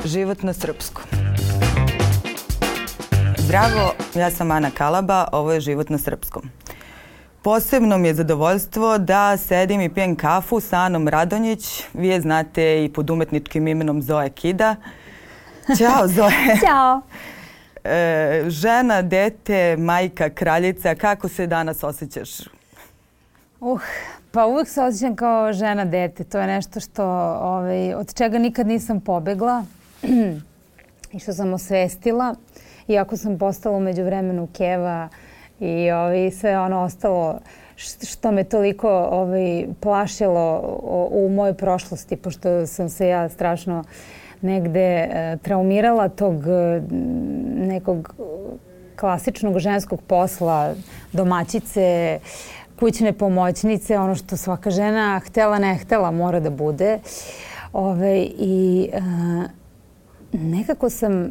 Život na srpskom. Zdravo, ja sam Ana Kalaba, ovo je Život na srpskom. Posebno mi je zadovoljstvo da sedim i pijem kafu sa Anom Radonjić. Vi je znate i pod umetničkim imenom Zoe Kida. Ćao Zoe. Ćao. Žena, dete, majka, kraljica, kako se danas osjećaš? Pa uvijek se osjećam kao žena, dete. To je nešto što, od čega nikad nisam pobegla i što sam osvestila. Iako sam postala u međuvremenu keva i sve ono ostalo što me toliko plašilo u mojoj prošlosti, pošto sam se ja strašno negde traumirala tog nekog klasičnog ženskog posla, domaćice, kućne pomoćnice, ono što svaka žena htela ne htela mora da bude. I nekako sam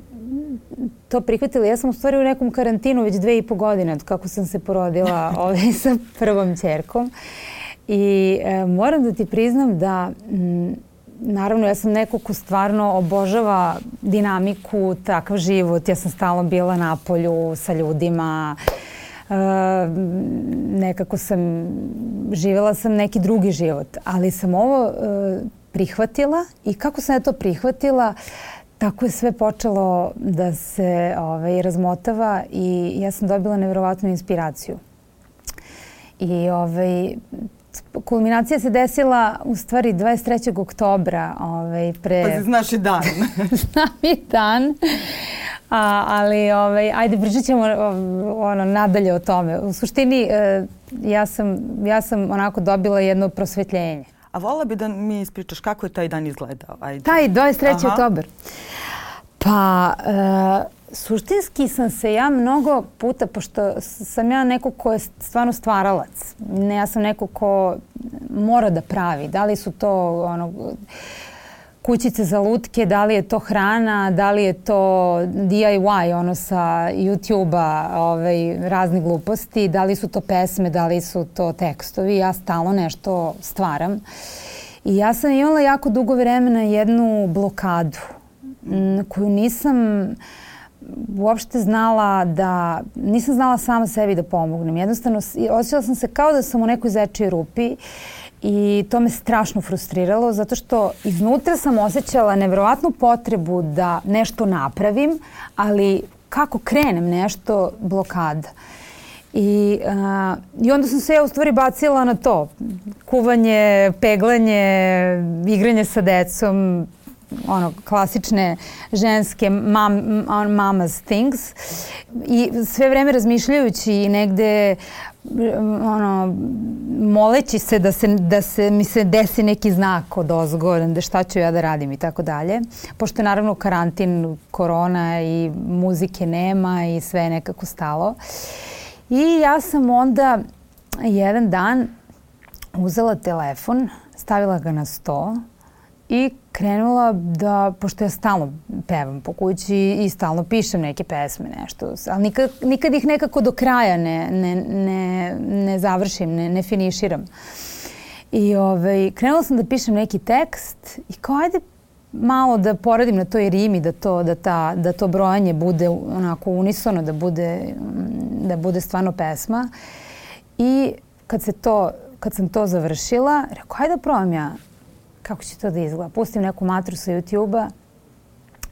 to prihvatila. Ja sam u stvari u nekom karantinu već 2,5 godine od kako sam se porodila sa prvom ćerkom. I moram da ti priznam da naravno ja sam neko ko stvarno obožava dinamiku, takav život. Ja sam stalno bila na polju sa ljudima. Nekako živjela sam neki drugi život. Ali sam ovo prihvatila i kako sam ja to prihvatila, tako je sve počelo da se razmotava i ja sam dobila nevjerovatnu inspiraciju. I kulminacija se desila u stvari 23. oktobra. Pa znaš i dan. Znam i dan. Ali ajde pričat ćemo nadalje o tome. U suštini ja sam onako dobila jedno prosvetljenje. A vola bi da mi ispričaš kako je taj dan izgledao? Ajde. Taj 23. oktobar. Pa suštinski sam se ja mnogo puta, pošto sam ja neko ko je stvarno stvaralac. Ja sam neko ko mora da pravi. Da li su to kućice za lutke, da li je to hrana, da li je to DIY, sa YouTube-a, razne gluposti, da li su to pesme, da li su to tekstovi. Ja stalno nešto stvaram. I ja sam imala jako dugo vremena jednu blokadu koju nisam uopšte nisam znala sama sebi da pomognem. Jednostavno, osjećala sam se kao da sam u nekoj zečijoj rupi i to me strašno frustriralo zato što iznutra sam osjećala nevjerovatnu potrebu da nešto napravim, ali kako krenem nešto, blokada. I onda sam se ja u stvari bacila na to. Kuvanje, peglanje, igranje sa decom, klasične ženske mama's things. I sve vreme razmišljajući i negde moleći se da se mi se desi neki znak odozgo, da šta ću ja da radim i tako dalje. Pošto je naravno karantin, korona i muzike nema i sve je nekako stalo. I ja sam onda jedan dan uzela telefon, stavila ga na sto i krenula da, pošto ja stalno pevam po kući i stalno pišem neke pesme, nešto, ali nikad ih nekako do kraja ne završim, ne finiširam. I krenula sam da pišem neki tekst i kao ajde malo da poradim na toj rimi, da to brojanje bude onako unisono, da bude stvarno pesma. I kad sam to završila, rekao ajde da probam ja kako će to da izgleda. Pustim neku matru sa YouTube-a,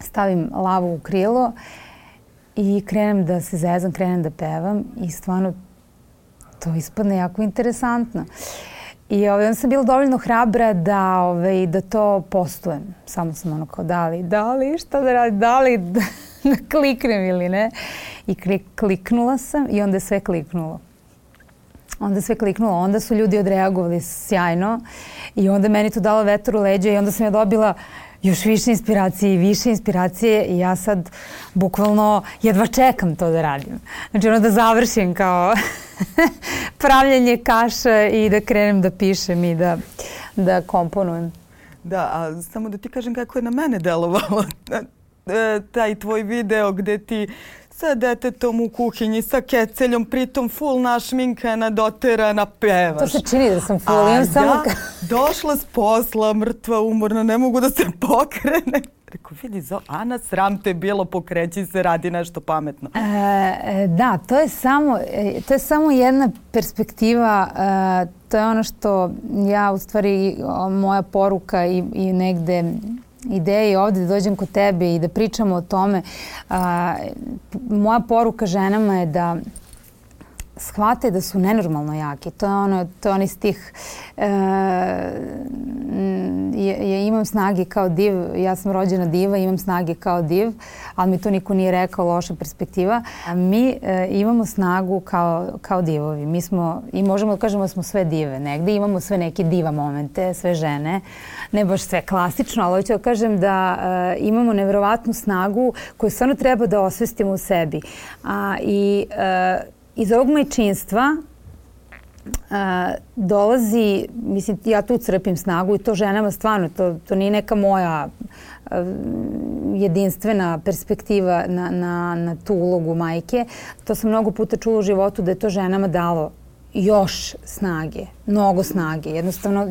stavim lavu u krilo i krenem da se zezam, krenem da pevam i stvarno to ispadne jako interesantno. I onda sam bila dovoljno hrabra da to postujem. Samo sam kao da li, šta da radim, da li da kliknem ili ne. I kliknula sam i onda je sve kliknulo. Onda su ljudi odreagovali sjajno i onda meni to dalo vetar u leđa i onda sam ja dobila još više inspiracije i ja sad bukvalno jedva čekam to da radim. Znači da završim kao pravljenje kaša i da krenem da pišem i da komponujem. Da, a samo da ti kažem kako je na mene delovalo taj tvoj video gde ti sa detetom u kuhinji, sa keceljom, pritom full našminkana, doterana, pevaš. To se čini da sam full. Došla s posla, mrtva, umorna, ne mogu da se pokrene. Rekao, vidi, Ana, sram te bilo, pokreći se, radi nešto pametno. Da, to je samo jedna perspektiva. To je ono što ja, u stvari, moja poruka i negde ideje ovde da dođem kod tebe i da pričamo o tome. Moja poruka ženama je da shvate da su nenormalno jaki. To je onaj stih ja imam snage kao div, ja sam rođena diva, imam snage kao div, ali mi to niko nije rekao, loša perspektiva. Mi imamo snagu kao divovi. Mi smo, i možemo da kažemo da smo sve dive. Negde imamo sve neke diva momente, sve žene. Ne baš sve klasično, ali hoću da kažem da imamo neverovatnu snagu koju stvarno treba da osvestimo u sebi. Iz ovog majčinstva dolazi, mislim, ja tu crpim snagu i to ženama stvarno, to nije neka moja jedinstvena perspektiva na tu ulogu majke. To sam mnogo puta čula u životu da je to ženama dalo još snage, mnogo snage. Jednostavno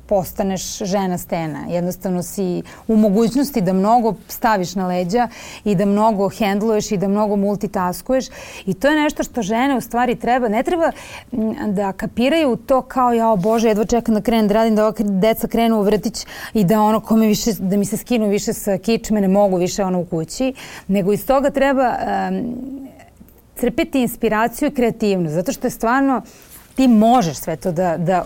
postaneš žena stena. Jednostavno si u mogućnosti da mnogo staviš na leđa i da mnogo hendluješ i da mnogo multitaskuješ. I to je nešto što žene u stvari ne treba da kapiraju to kao jao Bože, jedva čekam da krenem da radim, da ova deca krenu u vrtić i da da mi se skinu više sa kičme, ne mogu više u kući. Nego iz toga treba crpiti inspiraciju i kreativnost, zato što je stvarno ti možeš sve to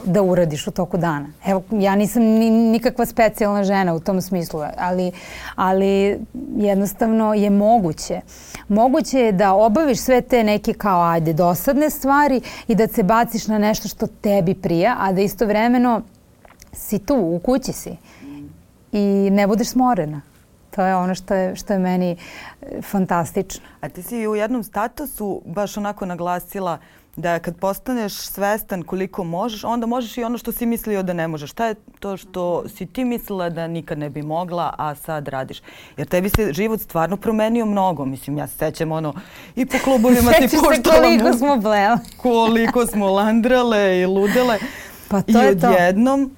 da uradiš u toku dana. Evo, ja nisam nikakva specijalna žena u tom smislu, ali jednostavno je moguće. Moguće je da obaviš sve te neke kao dosadne stvari i da se baciš na nešto što tebi prija, a da istovremeno si tu, u kući si i ne budeš smorena. To je ono što je meni fantastično. A ti si u jednom statusu baš onako naglasila da kad postaneš svestan koliko možeš, onda možeš i ono što si mislio da ne možeš. Šta je to što si ti mislila da nikad ne bi mogla, a sad radiš? Jer tebi se život stvarno promenio mnogo. Mislim, ja se sećam i po klubovima ti puštala. Sećaš se koliko smo blele. Koliko smo landrale i ludele. Pa to je to. I odjednom...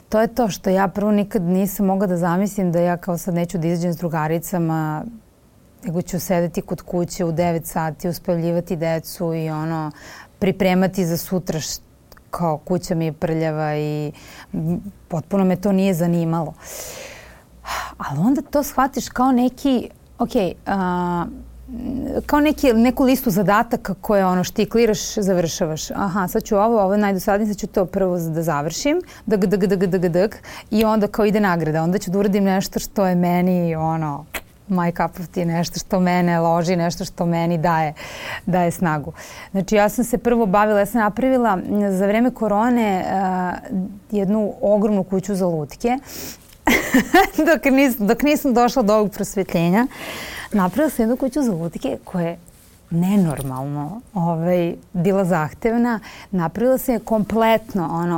To je to što ja prvo nikad nisam mogla da zamislim da ja kao sad neću da izađem s drugaricama, nego ću sedeti kod kuće u 9 sati, uspavljivati decu i pripremati za sutra kao kuća mi je prljava i potpuno me to nije zanimalo. Ali onda to shvatiš kao neki, kao neku listu zadataka koje štikliraš, završavaš. Aha, sad ću ovo je najdosadnije, sad ću to prvo da završim, i onda kao ide nagrada. Onda ću da uradim nešto što je meni, my cup of tea, nešto što mene loži, nešto što meni daje snagu. Znači, ja sam se prvo bavila, ja sam napravila za vreme korone jednu ogromnu kuću za lutke, dok nisam došla do ovog prosvetljenja. Napravila sam jednu kuću za lutke koja je nenormalno bila zahtevna. Napravila sam je kompletno,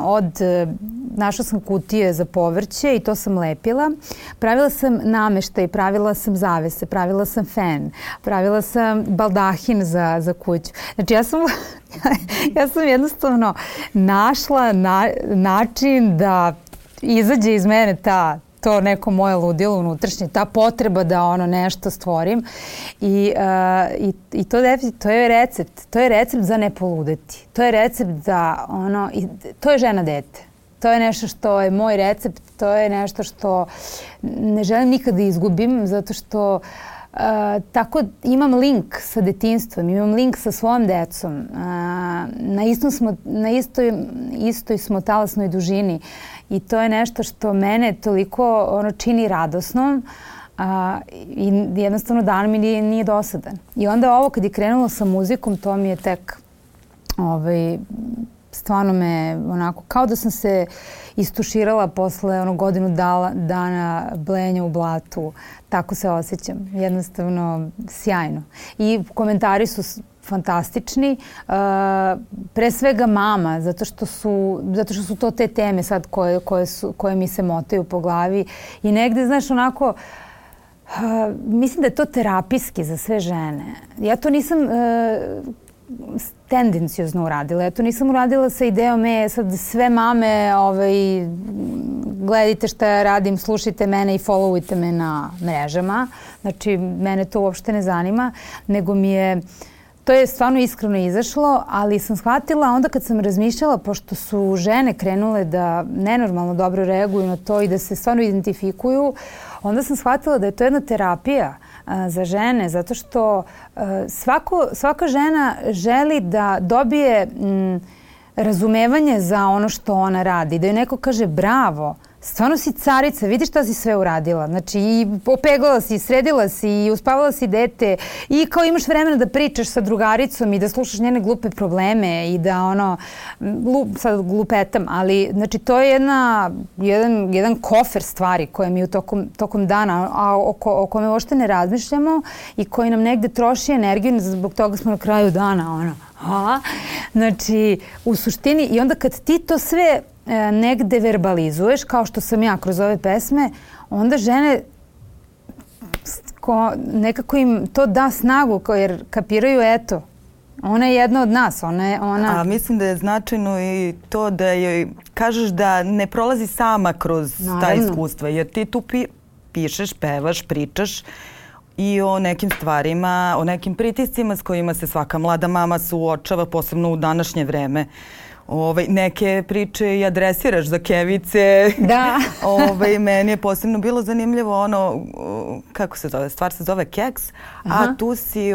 našla sam kutije za povrće i to sam lepila. Pravila sam nameštaj, pravila sam zavese, pravila sam fen, pravila sam baldahin za kuću. Znači, ja sam jednostavno našla način da izađe iz mene to neko moje ludilo unutrašnje, ta potreba da nešto stvorim i to je recept. To je recept za ne poludeti. To je recept da to je žena dete. To je nešto što je moj recept, to je nešto što ne želim nikada da izgubim zato što tako imam link sa detinjstvom, imam link sa svojom decom. Na istoj smo talasnoj dužini i to je nešto što mene toliko čini radosnom i jednostavno dan mi nije dosadan. I onda ovo kad je krenulo sa muzikom, to mi je tek stvarno me kao da sam se istuširala posle godinu dana blenja u blatu. Tako se osjećam. Jednostavno sjajno. I komentari su fantastični. Pre svega mama, zato što su to te teme sad koje mi se motaju po glavi. I negde, znaš, mislim da je to terapijski za sve žene. Ja to nisam tendenciozno uradila. Ja to nisam uradila sa idejom sad sve mame gledajte šta ja radim, slušajte mene i followujte me na mrežama. Znači, mene to uopšte ne zanima, nego mi je... To je stvarno iskreno izašlo, ali sam shvatila onda kad sam razmišljala, pošto su žene krenule da nenormalno dobro reaguju na to i da se stvarno identifikuju, onda sam shvatila da je to jedna terapija za žene, zato što svaka žena želi da dobije razumevanje za ono što ona radi. Da joj neko kaže bravo, stvarno si carica, vidi šta si sve uradila. Znači i opeglala si, sredila si i uspavala si dete i kao imaš vremena da pričaš sa drugaricom i da slušaš njene glupe probleme i da sad glupetam, ali znači to je jedan kofer stvari koje mi tokom dana, a o kome uopšte ne razmišljamo i koji nam negde troši energiju, zbog toga smo na kraju dana Znači, u suštini, i onda kad ti to sve negde verbalizuješ, kao što sam ja kroz ove pesme, onda žene nekako im to da snagu, jer kapiraju, eto, ona je jedna od nas. A mislim da je značajno i to da joj kažeš da ne prolazi sama kroz ta iskustva, jer ti tu pišeš, pevaš, pričaš i o nekim stvarima, o nekim pritiscima s kojima se svaka mlada mama suočava, posebno u današnje vreme. Neke priče i adresiraš za kevice. Da. Meni je posebno bilo zanimljivo kako se zove, stvar se zove Keks, a tu si...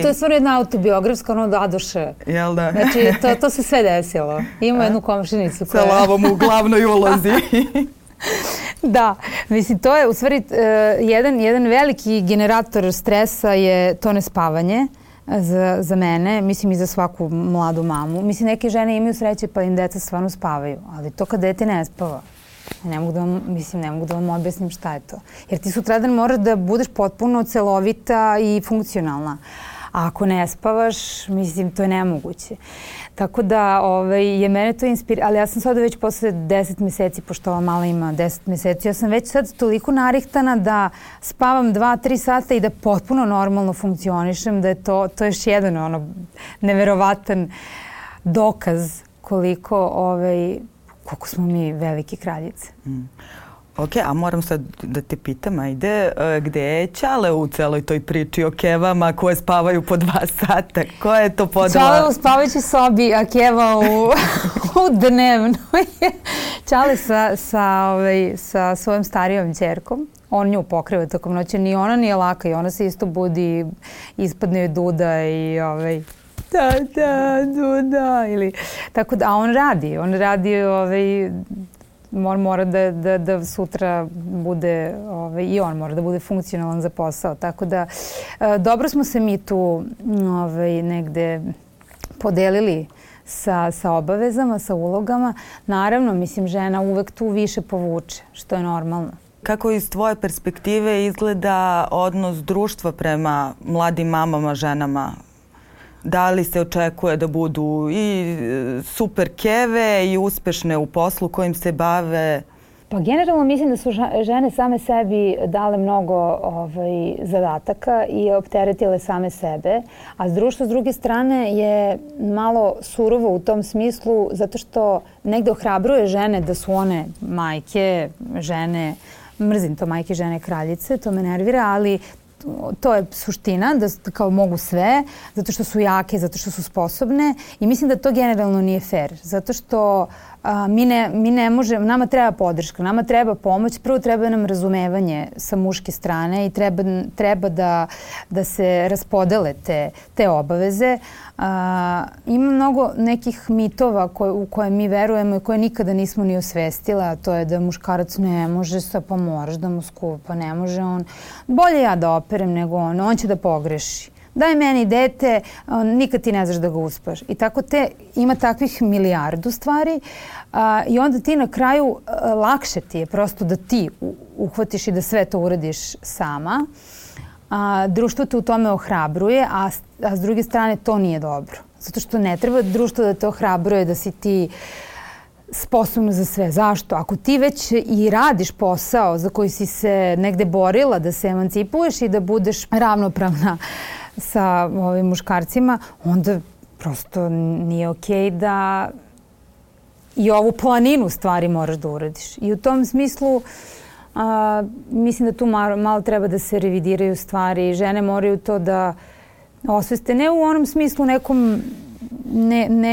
To je stvarno jedna autobiografska, dadoše. Jel da? Znači, to se sve desilo. Ima jednu komšinicu koja... Sa lavom u glavnoj ulozi. Da, mislim, to je u stvari jedan veliki generator stresa je to nespavanje za mene, mislim i za svaku mladu mamu. Mislim, neke žene imaju sreće pa im deca stvarno spavaju, ali to kad dete ne spava, ne mogu da vam objasnim šta je to. Jer ti sutradan moraš da budeš potpuno celovita i funkcionalna. A ako ne spavaš, mislim, to je nemoguće. Tako da je mene to inspiriralo, ali ja sam sada već posle 10 meseci, pošto ova mala ima 10 meseci, ja sam već sad toliko narihtana da spavam 2-3 sata i da potpuno normalno funkcionišem, da je to još jedan neverovatan dokaz koliko smo mi velike kraljice. Ok, a moram sad da te pitam, ajde, gde je Ćale u celoj toj priči o kevama koje spavaju po 2 sata? Koja je to podela? Ćale u spavajućoj sobi, a keva u dnevnoj. Ćale sa svojom starijom ćerkom. On nju pokriva tokom noći. Ni ona nije laka i ona se isto budi, ispadne joj duda i duda. Tako da, a on radi mora da sutra bude, i on mora da bude funkcionalan za posao. Tako da, dobro smo se mi tu negde podelili sa obavezama, sa ulogama. Naravno, mislim, žena uvek tu više povuče, što je normalno. Kako iz tvoje perspektive izgleda odnos društva prema mladim mamama, ženama? Da li se očekuje da budu i super keve i uspešne u poslu kojim se bave? Pa generalno mislim da su žene same sebi dale mnogo zadataka i opteretile same sebe, a društvo s druge strane je malo surovo u tom smislu zato što negde ohrabruje žene da su one majke, žene, mrzim to majke, žene, kraljice, to me nervira, ali to je suština, da kao mogu sve, zato što su jake, zato što su sposobne i mislim da to generalno nije fair, zato što mi ne možemo, nama treba podrška, nama treba pomoć, prvo treba nam razumevanje sa muške strane i treba da se raspodele te obaveze. Ima mnogo nekih mitova u koje mi verujemo i koje nikada nismo ni osvestile, a to je da muškarac ne može, pa moraš da mu skupa, ne može on. Bolje ja da operem nego on će da pogreši. Daj meni dete, nikad ti ne znaš da ga uspaš. I tako ima takvih milijardu stvari i onda ti na kraju lakše ti je prosto da ti uhvatiš i da sve to uradiš sama. Društvo te u tome ohrabruje, a s druge strane to nije dobro. Zato što ne treba društvo da te ohrabruje da si ti sposobna za sve. Zašto? Ako ti već i radiš posao za koji si se negde borila da se emancipuješ i da budeš ravnopravna sa ovim muškarcima, onda prosto nije okej da i ovu planinu stvari moraš da uradiš. I u tom smislu mislim da tu malo treba da se revidiraju stvari. Žene moraju to da osveste, ne u onom smislu nekom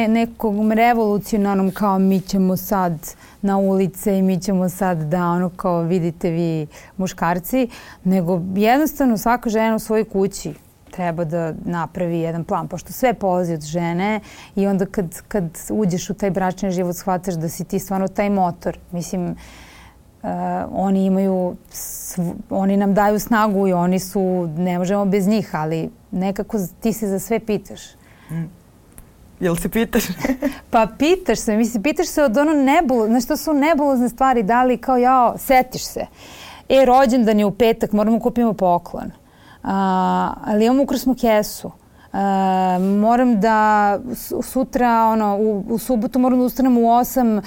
nekom revolucionarnom kao mi ćemo sad na ulice i mi ćemo sad da ono kao vidite vi muškarci, nego jednostavno svaka žena u svojoj kući treba da napravi jedan plan, pošto sve polazi od žene i onda kad uđeš u taj bračni život shvataš da si ti stvarno taj motor. Mislim, oni nam daju snagu i oni su, ne možemo bez njih, ali nekako ti se za sve pitaš. Jel se pitaš? Pa pitaš se, mislim, pitaš se od ono znaš to su nebulozne stvari, da li kao setiš se. Rođendan je u petak, moramo kupimo poklon. Ali imam ukrasnu kesu. Moram da sutra, u subotu moram da ustanem u 8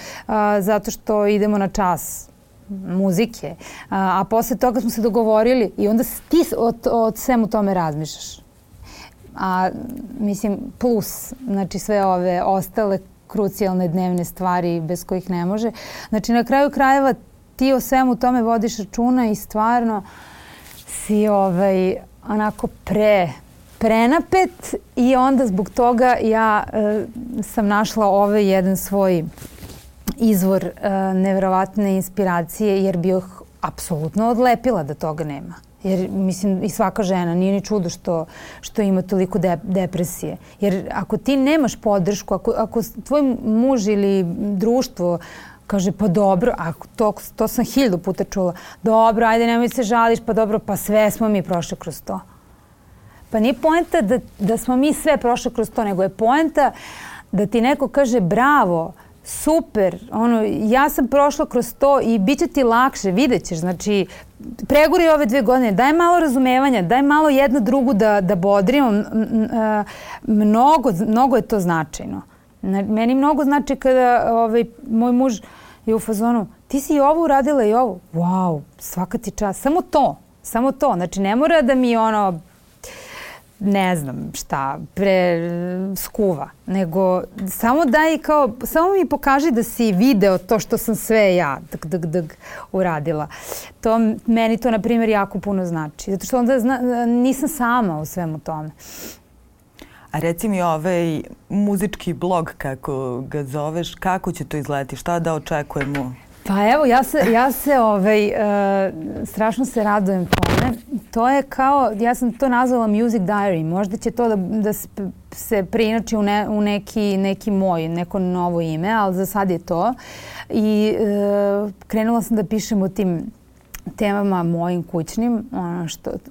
zato što idemo na čas muzike. A posle toga smo se dogovorili i onda ti o svemu tome razmišljaš. Mislim, plus, znači sve ove ostale krucijalne dnevne stvari bez kojih ne može. Znači, na kraju krajeva ti o svemu tome vodiš računa i stvarno si onako prenapet i onda zbog toga ja sam našla jedan svoj izvor neverovatne inspiracije jer bi ih apsolutno odlepila da toga nema. Jer, mislim, i svaka žena, nije ni čudo što ima toliko depresije. Jer ako ti nemaš podršku, ako tvoj muž ili društvo kaže, pa dobro, to sam 1000 puta čula, dobro, ajde nemoj se žališ, pa dobro, pa sve smo mi prošli kroz to. Pa nije poenta da smo mi sve prošli kroz to, nego je poenta da ti neko kaže, bravo, super, ja sam prošla kroz to i bit će ti lakše, vidjet ćeš, znači, pregori ove 2 godine, daj malo razumevanja, daj malo jedno drugu da bodrimo, mnogo je to značajno. Meni mnogo znači kada moj muž je u fazonu, ti si i ovo uradila i ovo, wow, svaka ti čast, samo to, znači ne mora da mi ne znam šta, skuva, nego samo samo mi pokaži da si video to što sam sve ja uradila. Meni to, na primjer, jako puno znači. Zato što onda nisam sama u svemu tome. A reci mi muzički blog, kako ga zoveš, kako će to izgledati? Šta da očekujemo? Pa evo, ja se strašno se radujem tome. To je kao, ja sam to nazvala Music Diary. Možda će to da se preinači u neko novo ime, ali za sad je to. I krenula sam da pišem o tim temama mojim kućnim,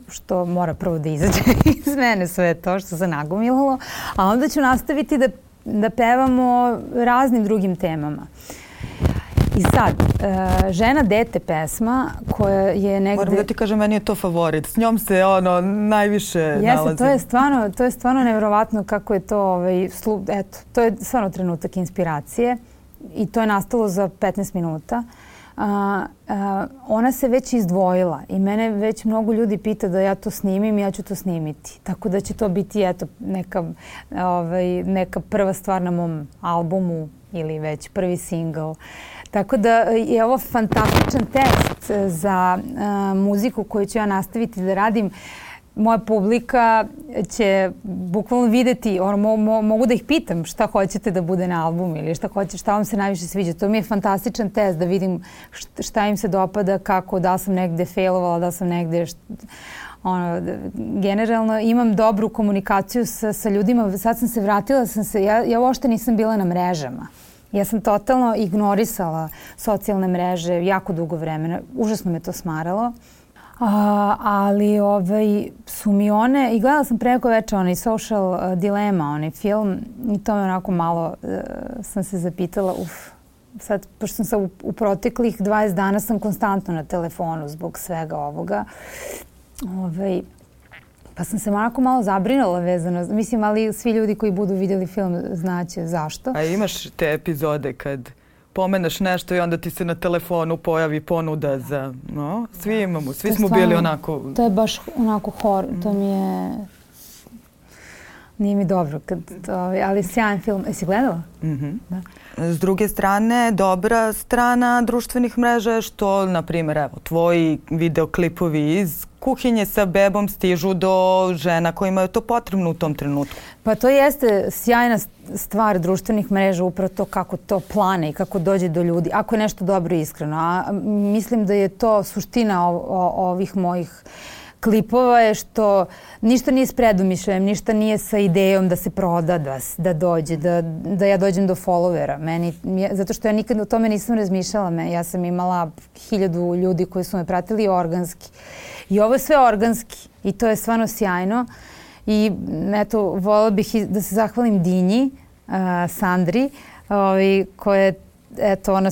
što mora prvo da izađe iz mene sve to što se nagomilalo, a onda ću nastaviti da pevamo raznim drugim temama. I sad, Žena, dete pesma koja je negde... Moram da ti kažem, meni je to favorit. S njom se najviše nalazi. To je stvarno nevjerovatno kako je to, to je stvarno trenutak inspiracije i to je nastalo za 15 minuta. Ona se već izdvojila i mene već mnogo ljudi pita da ja to snimim i ja ću to snimiti. Tako da će to biti neka prva stvar na mom albumu ili već prvi single. Tako da je ovo fantastičan test za muziku koju ću ja nastaviti da radim. Moja publika će bukvalno videti, mogu da ih pitam šta hoćete da bude na albumu ili šta vam se najviše sviđa. To mi je fantastičan test da vidim šta im se dopada, da li sam negde failovala, da li sam negde... Generalno imam dobru komunikaciju sa ljudima. Sad sam se vratila, ja uopšte nisam bila na mrežama. Ja sam totalno ignorisala socijalne mreže jako dugo vremena. Užasno me to smaralo. Ali su mi one, i gledala sam preko večera onaj Social Dilemma, film, i to me onako malo sam se zapitala, sad, pošto sam u proteklih 20 dana sam konstantno na telefonu zbog svega ovoga, pa sam se onako malo zabrinula vezano, mislim, ali svi ljudi koji budu vidjeli film znaće zašto. A imaš te epizode kad pomeneš nešto i onda ti se na telefonu pojavi ponuda za... Svi imamo, svi smo bili onako... To je baš onako horor, to mi je... Nije mi dobro, ali sjajan film. Jesi gledala? Da. S druge strane, dobra strana društvenih mreža je što, na primjer, evo, tvoji videoklipovi iz kuhinje sa bebom stižu do žena kojima je to potrebno u tom trenutku. Pa to jeste sjajna stvar društvenih mreža, upravo to kako to plane i kako dođe do ljudi, ako je nešto dobro i iskreno. A mislim da je to suština ovih mojih klipova je što ništa nije s predumišljajem, ništa nije sa idejom da se proda, da dođe, da ja dođem do followera. Zato što ja nikad o tome nisam razmišljala. Ja sam imala 1000 ljudi koji su me pratili organski. I ovo je sve organski i to je stvarno sjajno. I eto, voljela bih da se zahvalim Dinji, Sandri, koja je ona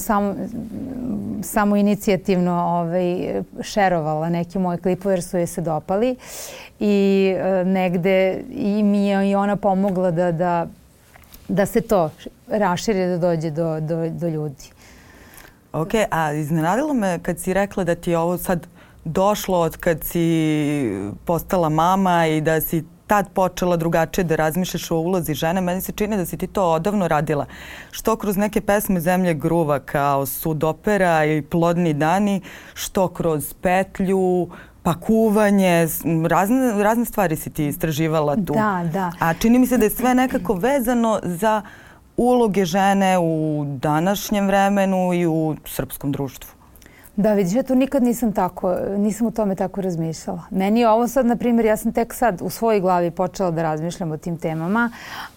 samo inicijativno šerovala neki moji klipove jer su joj se dopali i negde i mi je i ona pomogla da se to raširi, da dođe do ljudi. Ok, a iznenadilo me kad si rekla da ti je ovo sad došlo od kad si postala mama i da si tad počela drugačije da razmišljaš o ulozi žene. Meni se čini da si ti to odavno radila. Što kroz neke pesme Zemlje gruva kao Sudopera i Plodni dani, što kroz Petlju, pa kuvanje, razne stvari si ti istraživala tu. Da. A čini mi se da je sve nekako vezano za uloge žene u današnjem vremenu i u srpskom društvu. Da, vidiš, ja to nikad nisam o tome tako razmišljala. Meni je ovo sad, na primjer, ja sam tek sad u svojoj glavi počela da razmišljam o tim temama,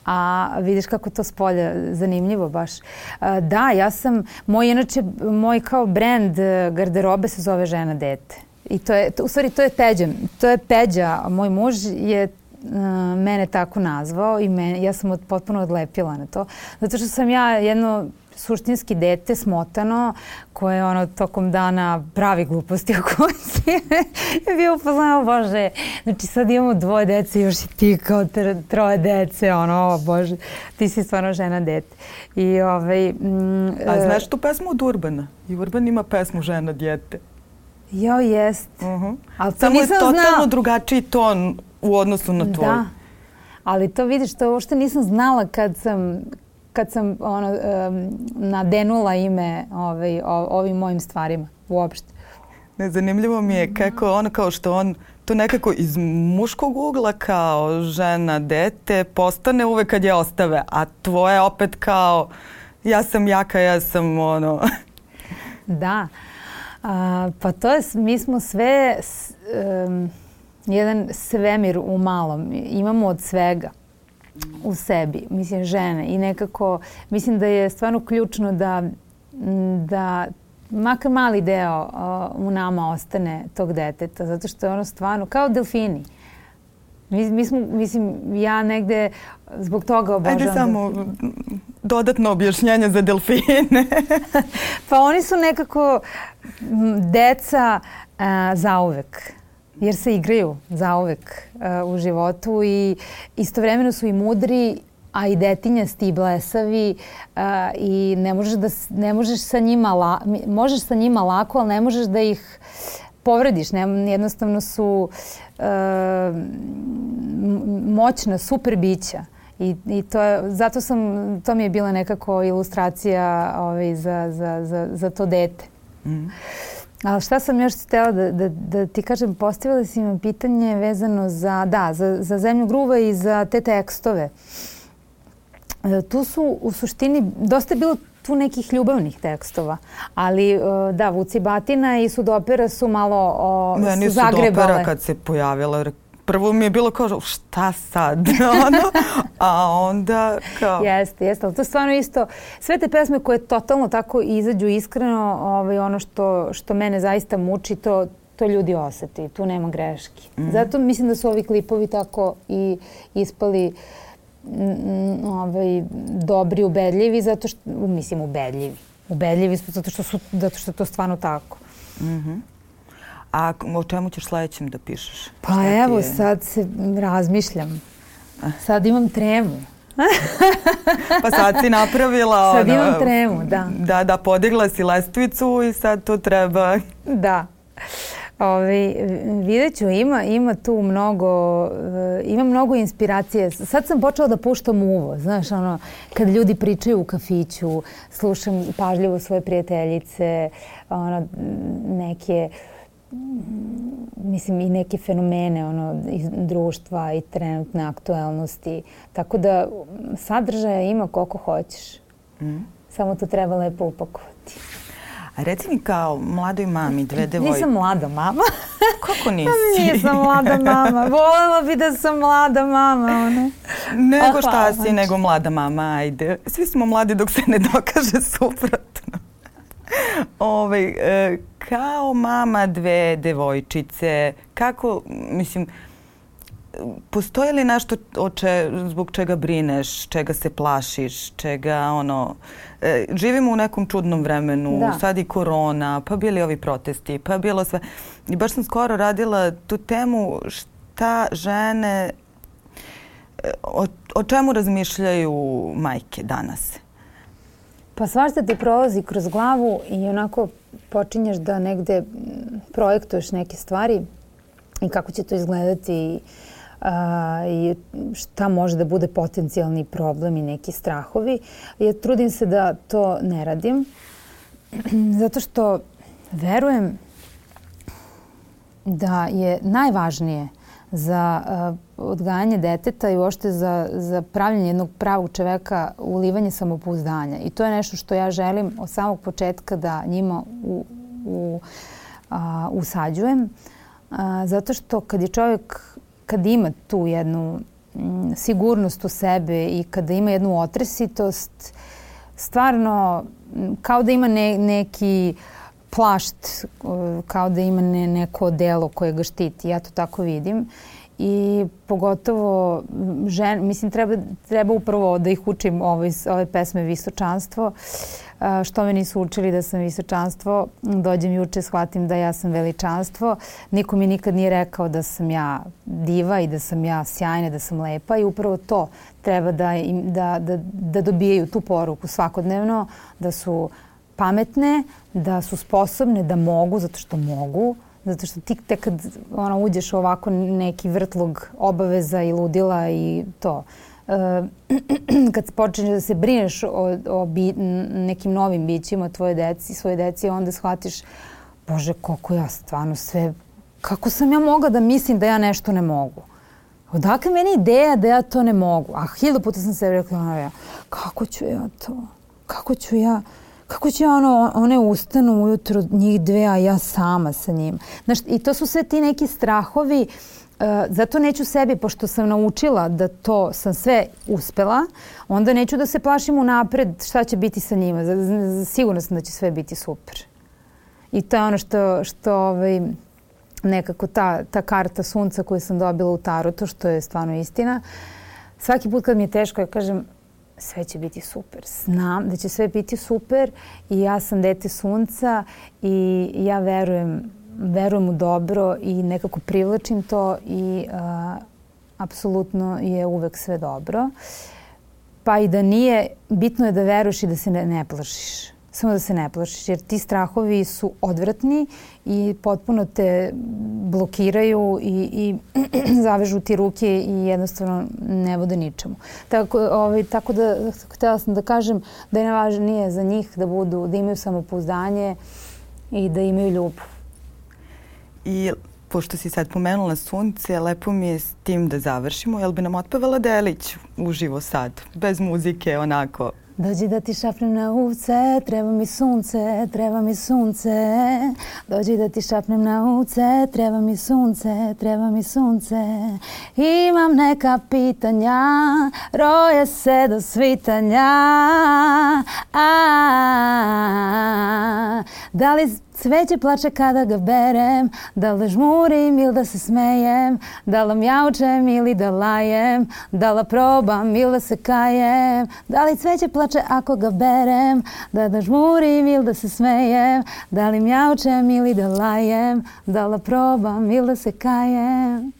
a vidiš kako to spolja zanimljivo baš. Da, ja sam, moj kao brand garderobe se zove Žena dete. I to je, u stvari, to je Peđa, moj muž je mene tako nazvao i ja sam potpuno odlepila na to. Zato što sam ja jedno suštinski dete, smotano, koje tokom dana pravi gluposti o kući. Je bio upoznao, Bože, znači sad imamo 2 dece, još i ti kao 3 dece, Bože, ti si stvarno žena dete. A znaš tu pesmu od Urbana? I Urban ima pesmu Žena djete. Jo, jest. Samo je totalno drugačiji ton u odnosu na tvoj. Da, ali to vidiš, to uopšte nisam znala kad sam nadenula ime ovim mojim stvarima uopšte. Zanimljivo mi je kako kao što on to nekako iz muškog ugla kao žena dete postane uvek kad je ostave, a tvoje opet kao ja sam jaka, ja sam Da, pa to je, mi smo sve jedan svemir u malom, imamo od svega u sebi, mislim žene i nekako mislim da je stvarno ključno da makar mali deo u nama ostane tog deteta, zato što je stvarno kao delfini. Mislim, ja negde zbog toga obožavam. Ajde samo dodatno objašnjenje za delfine. Pa oni su nekako deca zauvek. Jer se igraju zauvek u životu i istovremeno su i mudri, a i detinjasti i blesavi i možeš sa njima lako, ali ne možeš da ih povrediš. Jednostavno su moćna, super bića. I to mi je bila nekako ilustracija za to dete. Ali šta sam još htjela da ti kažem, postavila si mi pitanje vezano za Zemlju gruva i za te tekstove. Tu su u suštini, dosta je bilo tu nekih ljubavnih tekstova, ali da, Vuci Batina i Sudopera su malo Meni Sudopera kad se pojavila, prvo mi je bilo kao šta sad, a onda kao... Jeste, ali to je stvarno isto. Sve te pesme koje totalno tako izađu iskreno, ono što mene zaista muči, to ljudi osjeti, tu nema greški. Zato mislim da su ovi klipovi tako i ispali dobri, ubedljivi, zato što, mislim, ubedljivi. Ubedljivi zato što je to stvarno tako. A o čemu ćeš sledećem da pišeš? Pa evo, sad se razmišljam. Sad imam tremu. Pa sad si napravila sad imam tremu, da. Da, podigla si lestvicu i sad to treba... Da. Vidjet ću, ima tu mnogo inspiracije. Sad sam počela da puštam uvo, znaš, kad ljudi pričaju u kafiću, slušam pažljivo svoje prijateljice, neke, mislim, i neke fenomene iz društva i trenutne aktuelnosti. Tako da sadržaja ima koliko hoćeš. Samo to treba lepo upakovati. A reci mi, kao mladoj mami, dve devojke... Nisam mlada mama. Kako nisi? Nisam mlada mama. Volela bi da sam mlada mama. Nego šta si, nego mlada mama, ajde. Svi smo mladi dok se ne dokaže suprotno. Kao mama dve devojčice, kako, mislim, postoji li nešto zbog čega brineš, čega se plašiš, čega živimo u nekom čudnom vremenu, sad i korona, pa bili ovi protesti, pa bilo sve. I baš sam skoro radila tu temu šta žene, o čemu razmišljaju majke danas. Pa svašta ti prolazi kroz glavu i onako počinješ da negde projektuješ neke stvari i kako će to izgledati i šta može da bude potencijalni problem i neki strahovi. Ja trudim se da to ne radim zato što verujem da je najvažnije za odgajanje deteta i uopšte za pravljenje jednog pravog čoveka ulivanje samopouzdanja. I to je nešto što ja želim od samog početka da njima usađujem. Zato što kad je čovjek, kad ima tu jednu sigurnost u sebe i kada ima jednu otresitost, stvarno kao da ima neki plašt, kao da ima neko delo koje ga štiti. Ja to tako vidim. I pogotovo, mislim, treba upravo da ih učim ove pesme Visočanstvo. Što me nisu učili da sam visočanstvo, dođem juče, shvatim da ja sam veličanstvo. Niko mi nikad nije rekao da sam ja diva i da sam ja sjajna, da sam lepa i upravo to treba da dobijaju tu poruku svakodnevno, da su pametne, da su sposobne, da mogu, zato što mogu. Zato što ti tek kad uđeš u ovako neki vrtlog obaveza i ludila i to, kad počneš da se brineš o nekim novim bićima svoje deci, onda shvatiš, Bože, koliko ja stvarno sve, kako sam ja mogla da mislim da ja nešto ne mogu? Odakle meni ideja da ja to ne mogu? A 1000 puta sam se rekla, kako ću ja to? Kako ću ja one ustanu ujutro njih dve, a ja sama sa njim. Znaš, i to su sve ti neki strahovi. Zato neću sebi, pošto sam naučila da to sam sve uspela, onda neću da se plašim unapred šta će biti sa njima. Sigurno sam da će sve biti super. I to je ono što nekako ta karta sunca koju sam dobila u tarotu, što je stvarno istina. Svaki put kad mi je teško, ja kažem, sve će biti super. Znam da će sve biti super i ja sam dete sunca i ja verujem u dobro i nekako privlačim to i apsolutno je uvek sve dobro. Pa i da nije, bitno je da veruješ i da se ne plašiš. Samo da se ne plašiš jer ti strahovi su odvratni i potpuno te blokiraju i zavežu ti ruke i jednostavno ne vode ničemu. Tako da htjela sam da kažem da je najvažnije za njih da imaju samopouzdanje i da imaju ljubav. I pošto si sad pomenula sunce, lepo mi je s tim da završimo. Jel bi nam otpevala delić uživo sad, bez muzike, onako? Dođi da ti šapnem na uvce, treba mi sunce, treba mi sunce. Dođi da ti šapnem na uvce, treba mi sunce, treba mi sunce. Imam neka pitanja, roje se do svitanja. Da li cveće plače kada ga berem, da li žmurim ili da se smejem, da li mjaučem ili da lajem, da li probam ili da se kajem, da li cveće plače ako ga berem, da žmurim ili da se smejem, da li mjaučem ili da lajem, da li probam ili da se kajem.